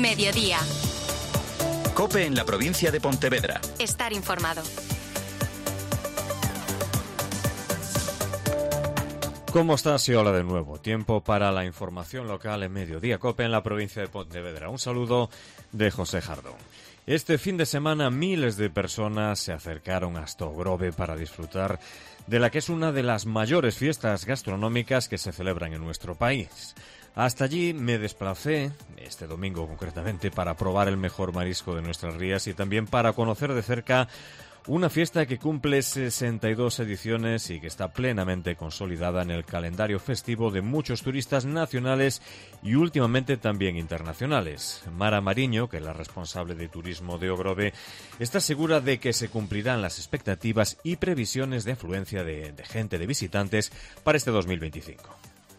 Mediodía. COPE en la provincia de Pontevedra. Estar informado. ¿Cómo estás? Y hola de nuevo. Tiempo para la información local en Mediodía COPE en la provincia de Pontevedra. Un saludo de José Jardón. Este fin de semana miles de personas se acercaron hasta Ogrove para disfrutar de la que es una de las mayores fiestas gastronómicas que se celebran en nuestro país. Hasta allí me desplacé, este domingo concretamente, para probar el mejor marisco de nuestras rías y también para conocer de cerca una fiesta que cumple 62 ediciones y que está plenamente consolidada en el calendario festivo de muchos turistas nacionales y últimamente también internacionales. Mara Mariño, que es la responsable de turismo de Ogrove, está segura de que se cumplirán las expectativas y previsiones de afluencia de gente, de visitantes, para este 2025.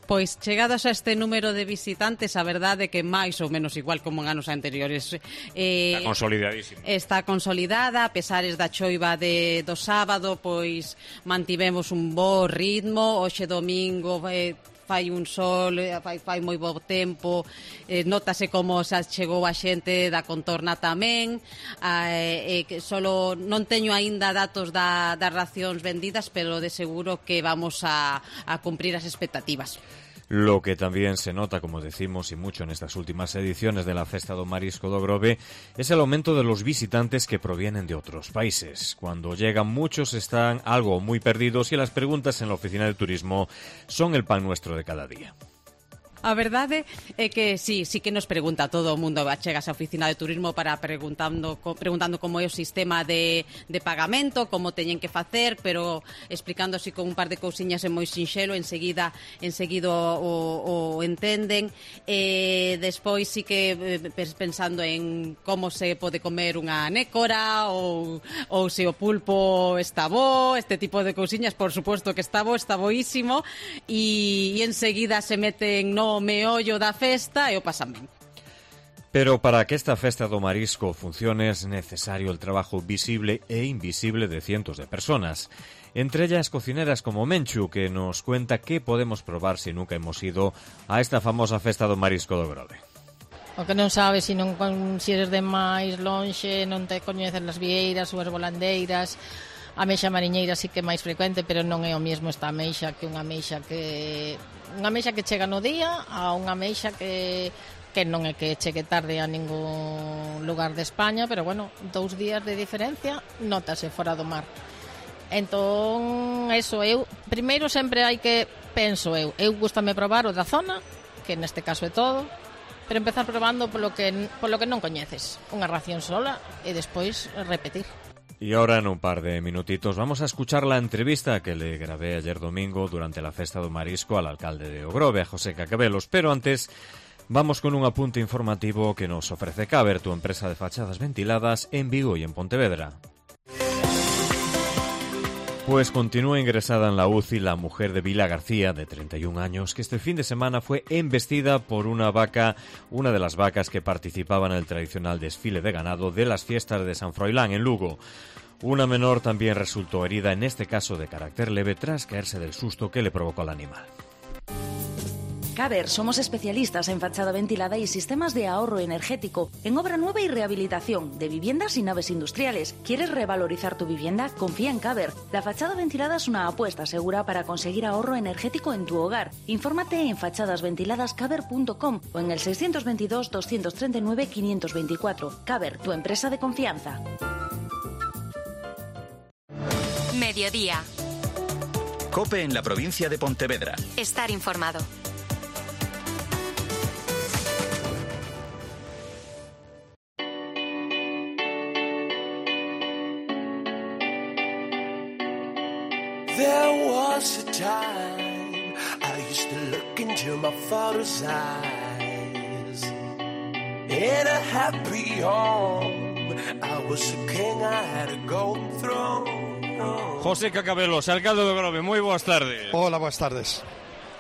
Pois chegados a este número de visitantes, a verdade que máis ou menos igual como en anos anteriores. Está consolidadísimo. Está consolidada, a pesares da choiva do sábado, pois mantivemos un bo ritmo. Hoxe domingo fai un sol, fai moi bo tempo, notase como xa chegou a xente da contorna tamén, que solo non teño aínda datos das racións vendidas, pero de seguro que vamos a cumprir as expectativas. Lo que también se nota, como decimos, y mucho en estas últimas ediciones de la Festa do Marisco de Ogrove, es el aumento de los visitantes que provienen de otros países. Cuando llegan, muchos están algo muy perdidos y las preguntas en la oficina de turismo son el pan nuestro de cada día. A verdade é que sí que nos pregunta todo o mundo, chegas á oficina de turismo para preguntando como é o sistema de pagamento, como teñen que facer, pero explicando así con un par de cousiñas é moi sinxelo, enseguida o entenden. Despois sí que pensando en como se pode comer unha nécora ou se o pulpo está bo, este tipo de cousiñas, por suposto que está boísimo, e enseguida se meten no meollo da festa e o pasan ben. Pero para que esta festa do marisco funcione es necesario el trabajo visible e invisible de cientos de personas. Entre ellas cocineras como Menchu, que nos cuenta qué podemos probar si nunca hemos ido a esta famosa festa do marisco do Ogrove. O que non sabes se eres de máis lonxe, non te coñeces as vieiras ou as volandeiras. A ameixa mariñeira sí que é máis frecuente, pero non é o mesmo esta ameixa que unha ameixa que chega no día a unha ameixa que non é que chegue tarde a ningún lugar de España, pero bueno, 2 días de diferencia notase fora do mar. Entón, eso, primeiro sempre hai que, penso eu gústame probar o da zona, que neste caso é todo, pero empezar probando polo que non coñeces, unha ración sola e despois repetir. Y ahora, en un par de minutitos, vamos a escuchar la entrevista que le grabé ayer domingo durante la Festa do Marisco al alcalde de Ogrove, a José Cacabelos. Pero antes, vamos con un apunte informativo que nos ofrece Caber, tu empresa de fachadas ventiladas en Vigo y en Pontevedra. Pues continúa ingresada en la UCI la mujer de Vila García, de 31 años, que este fin de semana fue embestida por una de las vacas que participaba en el tradicional desfile de ganado de las fiestas de San Froilán en Lugo. Una menor también resultó herida, en este caso de carácter leve, tras caerse del susto que le provocó el animal. Caber, somos especialistas en fachada ventilada y sistemas de ahorro energético, en obra nueva y rehabilitación, de viviendas y naves industriales. ¿Quieres revalorizar tu vivienda? Confía en Caber. La fachada ventilada es una apuesta segura para conseguir ahorro energético en tu hogar. Infórmate en fachadasventiladascaber.com o en el 622 239 524. Caber, tu empresa de confianza. Mediodía. COPE en la provincia de Pontevedra. Estar informado. There was a time I used to look into my father's eyes. In a happy home, I was a king, I had a golden throne. José Cacabelos, alcalde de Ogrove, moi boas tardes. Hola, boas tardes.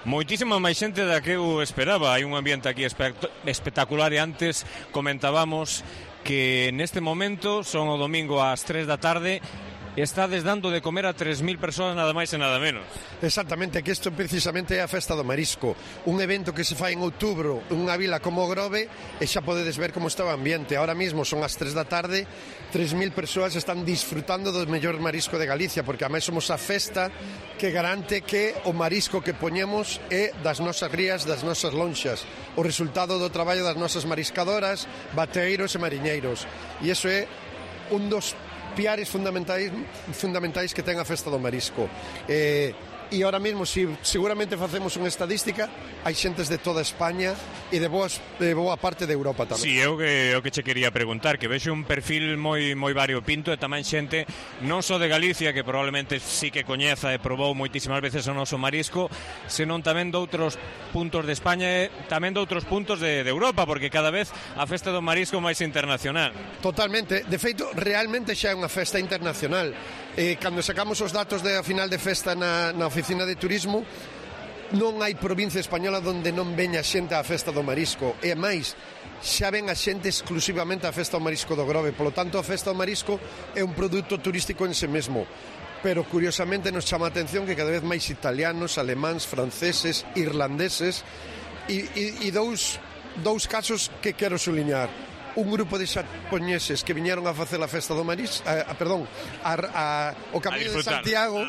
Moitísima máis xente da que eu esperaba. Hai un ambiente aquí espectacular e antes comentábamos que neste momento son o domingo ás 3 da tarde estades dando de comer a 3.000 persoas nada máis e nada menos. Exactamente, que isto precisamente é a Festa do Marisco, un evento que se fai en outubro nunha vila como Grove, e xa podedes ver como está o ambiente. Ahora mismo son as 3 da tarde, 3.000 persoas están disfrutando do mellor marisco de Galicia, porque a máis somos a festa que garante que o marisco que poñemos é das nosas rías, das nosas lonxas, o resultado do traballo das nosas mariscadoras, bateiros e mariñeiros. E iso é un dos piares fundamentais que ten a Festa do Marisco. E ahora mesmo, seguramente facemos unha estadística, hai xentes de toda España e de boa parte de Europa tamén. Si, eu que che quería preguntar, que vexo un perfil moi variopinto e tamén xente non só de Galicia, que probablemente sí que coñeza e probou moitísimas veces o noso marisco, senón tamén de outros puntos de España e tamén de outros puntos de Europa, porque cada vez a Festa do Marisco máis internacional. Totalmente, de feito, realmente xa é unha festa internacional. Cando sacamos os datos da final de festa na oficina de turismo, non hai provincia española onde non veña xente á Festa do Marisco, e máis, xa ven a xente exclusivamente á Festa do Marisco do Grove. Polo tanto, a Festa do Marisco é un produto turístico en sí mesmo, pero curiosamente nos chama a atención que cada vez máis italianos, alemáns, franceses, irlandeses, e dous casos que quero suliñar. Un grupo de xaponeses que viñeron a facer a Festa do Marisco, o Camiño de Santiago,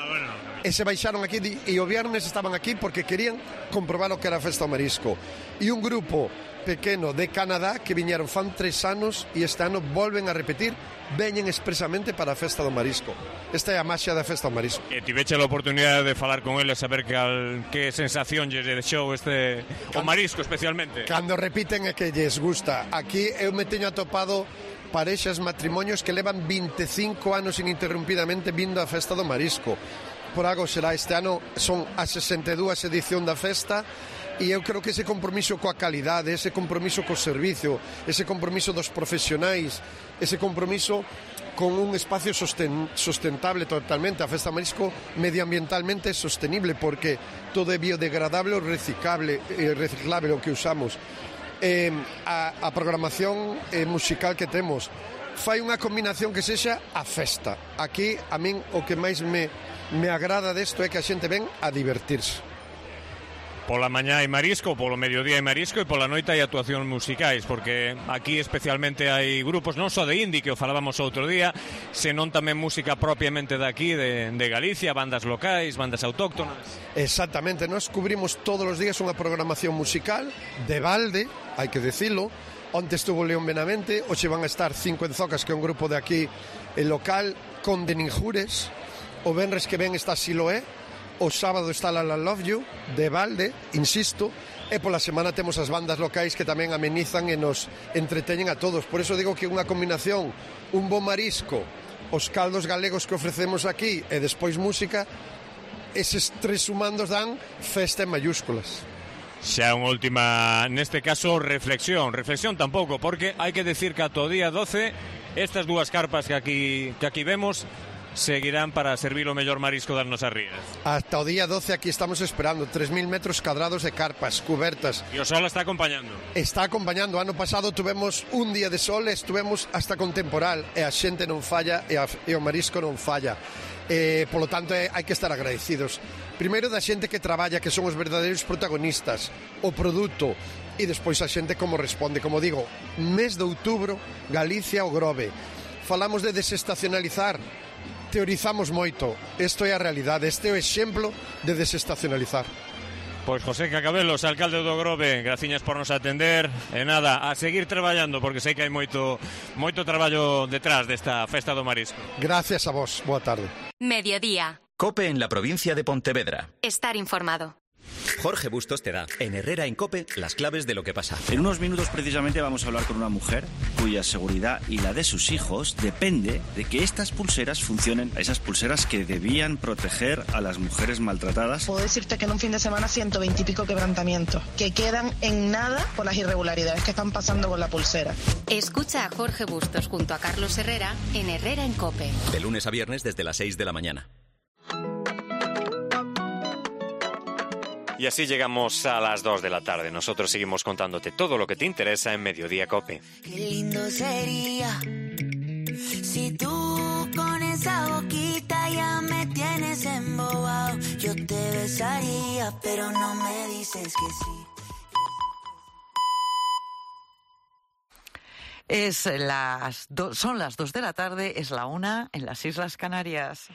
e se baixaron aquí, e o viernes estaban aquí porque querían comprobar o que era a Festa do Marisco. E un grupo pequeno de Canadá que viñeron fan 3 anos e este ano volven a repetir, veñen expresamente para a Festa do Marisco. Esta é a maxia da Festa do Marisco. E tiveche a oportunidade de falar con eles, saber que sensación lle deixou o marisco especialmente. Cando repiten é que lles gusta. Aquí eu me teño atopado parexas, matrimonios que levan 25 anos ininterrumpidamente vindo á Festa do Marisco. Por algo será, este ano son a 62 edición da festa, e eu creo que ese compromiso coa calidade, ese compromiso co servicio, ese compromiso dos profesionais, ese compromiso con un espacio sustentable totalmente. A Festa do Marisco medioambientalmente é sostenible porque todo é biodegradable ou reciclable o que usamos. A programación musical que temos fai unha combinación que sexa a festa. Aquí, a min, o que máis me agrada desto é que a xente ven a divertirse. Pola mañá hai marisco, polo mediodía hai marisco e pola noite hai actuacións musicais, porque aquí especialmente hai grupos non só de indie, que o falábamos outro día, senón tamén música propiamente daqui, de Galicia, bandas locais, bandas autóctonas. Exactamente, nós cubrimos todos os días unha programación musical de balde, hai que decilo. Onte estuvo León Benavente, hoxe van a estar Cinco Enzocas, que é un grupo de aquí local, con de Ninjures. O venres que ven está Siloé, o sábado está La Love You, de balde, insisto, e pola semana temos as bandas locais que tamén amenizan e nos entreteñen a todos. Por eso digo que unha combinación, un bo marisco, os caldos galegos que ofrecemos aquí e despois música, eses 3 sumandos dan festa en mayúsculas. Xa unha última, neste caso, reflexión tampouco, porque hai que decir que ata o día 12 estas dúas carpas que aquí vemos seguirán para servir o mellor marisco das nosas rías. Hasta o día 12 aquí estamos esperando 3.000 metros cadrados de carpas, cubertas. E o sol está acompañando. Está acompañando. Ano pasado tuvemos un día de sol e estuvemos hasta con temporal, e a xente non falla e o marisco non falla. Polo tanto, hai que estar agradecidos. Primeiro da xente que traballa, que son os verdadeiros protagonistas, o produto, e despois a xente como responde. Como digo, mes de outubro, Galicia o Grove. Falamos de desestacionalizar, teorizamos moito. Isto é a realidade, este é o exemplo de desestacionalizar. Pois José Cacabelos, alcalde do Grove, graciñas por nos atender. E nada, a seguir traballando, porque sei que hai moito traballo detrás desta Festa do Marisco. Gracias a vos, boa tarde. Mediodía. COPE en la provincia de Pontevedra. Estar informado. Jorge Bustos te da, en Herrera en COPE, las claves de lo que pasa. En unos minutos precisamente vamos a hablar con una mujer cuya seguridad y la de sus hijos depende de que estas pulseras funcionen, esas pulseras que debían proteger a las mujeres maltratadas. Puedo decirte que en un fin de semana 120 y pico quebrantamientos, que quedan en nada por las irregularidades que están pasando con la pulsera. Escucha a Jorge Bustos junto a Carlos Herrera en Herrera en COPE. De lunes a viernes desde las 6 de la mañana. Y así llegamos a las 2 de la tarde. Nosotros seguimos contándote todo lo que te interesa en Mediodía COPE. Qué lindo sería Si tú con esa boquita ya me tienes embobado, yo te besaría, pero no me dices que sí. Son las 2 de la tarde, es la 1 en las Islas Canarias.